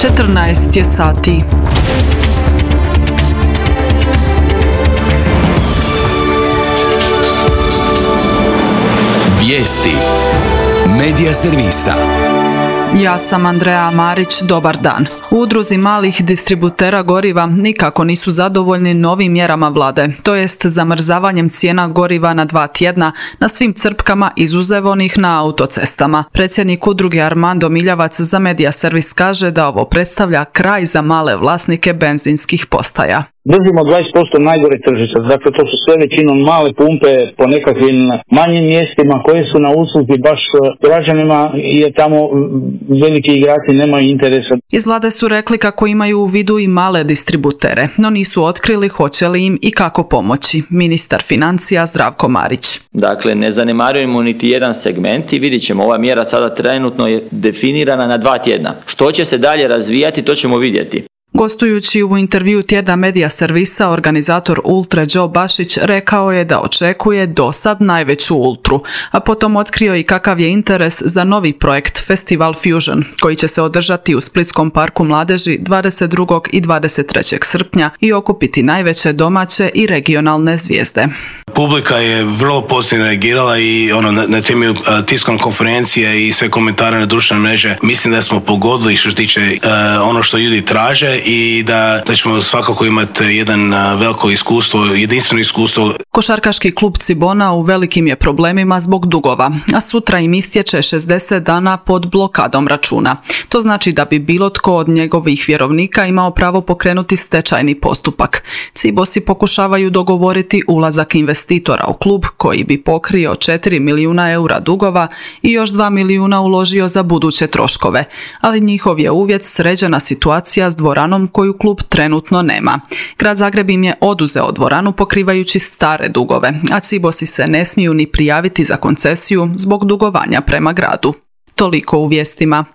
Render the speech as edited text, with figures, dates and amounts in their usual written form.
14 je sati. Vijesti Medija servisa. Ja sam Andreja Marić, dobar dan. U udruzi malih distributera goriva nikako nisu zadovoljni novim mjerama vlade, to jest zamrzavanjem cijena goriva na 2 tjedna na svim crpkama izuzev onih na autocestama. Predsjednik udruge Armando Miljavac za Medija servis kaže da ovo predstavlja kraj za male vlasnike benzinskih postaja. Držimo 20% najgore tržišta, dakle to su sve većinom male pumpe po nekakvim manjim mjestima koje su na usluzi baš građanima jer tamo veliki igrači nemaju interesa. Iz vlade su rekli kako imaju u vidu i male distributere, no nisu otkrili hoće li im i kako pomoći. Ministar financija Zdravko Marić. Dakle, ne zanemarujemo niti jedan segment i vidjet ćemo, ova mjera sada trenutno je definirana na 2 tjedna. Što će se dalje razvijati, to ćemo vidjeti. Gostujući u intervju tjedna Medija servisa, organizator Ultre Joe Bašić rekao je da očekuje do sad najveću ultru, a potom otkrio i kakav je interes za novi projekt Festival Fusion, koji će se održati u Splitskom parku mladeži 22. i 23. srpnja i okupiti najveće domaće i regionalne zvijezde. Publika je vrlo pozitivno reagirala i na temelju tiskovne konferencije i sve komentare na društvene mreže mislim da smo pogodili što se tiče ono što ljudi traže i da ćemo svakako imati jedan veliko iskustvo, jedinstveno iskustvo. Košarkaški klub Cibona u velikim je problemima zbog dugova, a sutra im istječe 60 dana pod blokadom računa. To znači da bi bilo tko od njegovih vjerovnika imao pravo pokrenuti stečajni postupak. Cibosi pokušavaju dogovoriti ulazak investitora u klub koji bi pokrio 4 milijuna eura dugova i još 2 milijuna uložio za buduće troškove, ali njihov je uvjet sređena situacija s dvoranom koju klub trenutno nema. Grad Zagreb im je oduzeo dvoranu pokrivajući stare dugove, a Cibosi se ne smiju ni prijaviti za koncesiju zbog dugovanja prema gradu. Toliko u vijestima.